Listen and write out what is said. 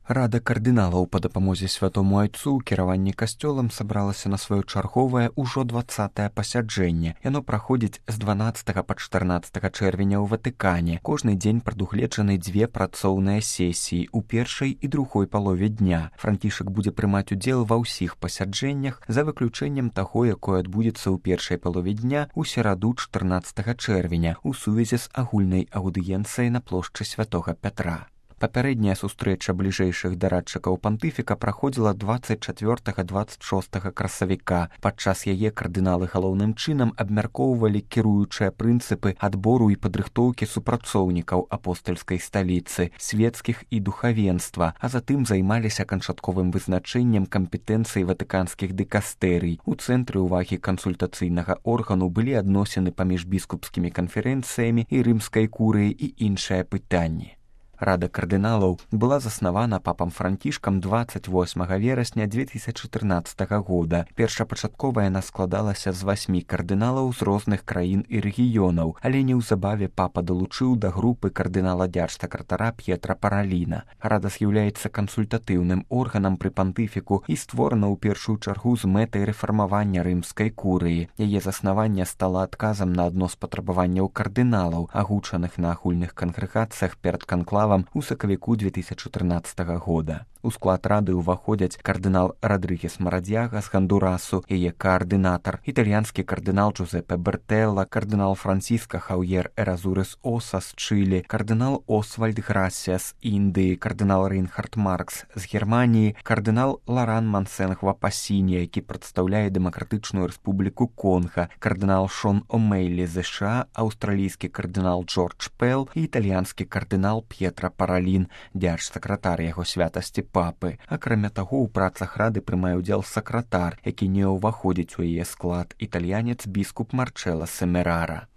Рада кардыналаў па дапамозе святому айцу ў кіраванні касцёлам сабралася на сваё чарговае ўжо 20-е пасяджэнне. Яно праходзіць з 12 па 14 чэрвеня ў Ватыкане. Кожны дзень прадугледжаны 2 працоўныя сесіі ў першай і другой палове дня. Францішак будзе прымаць удзел ва ўсіх пасяджэннях, за выключэннем таго, якое адбудзецца ў першай палове дня ў сераду 14 чэрвеня ў сувязі з агульнай аўдыенцыяй на плошчы святога Пятра. Папярэдняя сустрэча бліжэйшых дарадчыкаў пантыфіка праходзіла 24-26 красавіка. Падчас яе кардыналы галоўным чынам абмяркоўвалі кіруючыя прынцыпы адбору і падрыхтоўкі супрацоўнікаў апостальскай сталіцы, свецкіх і духавенства, а затым займаліся канчатковым вызначэннем кампетэнцый ватыканскіх дыкастэрый. У цэнтры ўвагі кансультацыйнага органу былі адносіны паміж біскупскімі канферэнцыямі і рымскай курыяй і іншыя пытанні. Рада кардыналаў была заснавана папам Францішкам 28 верасня 2014 года. Першапачаткова яна складалася з 8 кардыналаў з розных краін і рэгіёнаў, але неўзабаве папа далучыў да групы кардынала дзяржсакратара П'етра Параліна. Рада з'яўляецца кансультатыўным органам пры пантыфіку і створана ў першую чаргу з мэтай рэфармавання рымскай курыі. Яе заснаванне стала адказам на адно з патрабаванняў кардыналаў, агучаных на агульных кангрэгацыях перад канклавам у сакавіку 2014 года. У склад рады ўваходзяць кардынал Радрыгес Марадзяга з Гондурасу, яе каардынатар, італьянскі кардынал Джузеппе Бертэлла, кардынал Франциско Хаўер Эразурес Оса з Чылі, кардынал Освальд Грасія з Індыі, кардынал Рейнхард Маркс з Германіі, кардынал Ларан Мансенгва Пасіні, які прадстаўляе Дэмакратычную рэспубліку Конга, кардынал Шон Омейлі з США, аўстралійскі кардынал Джордж Пэл і італьянскі кардынал П'етра Паралін, дзяржсакратар яго святасці папы. Акрамя таго, у працах рады прымае ўдзел сакратар, які не ўваходзіць у яе склад, італьянец біскуп Марчэлла Семерара.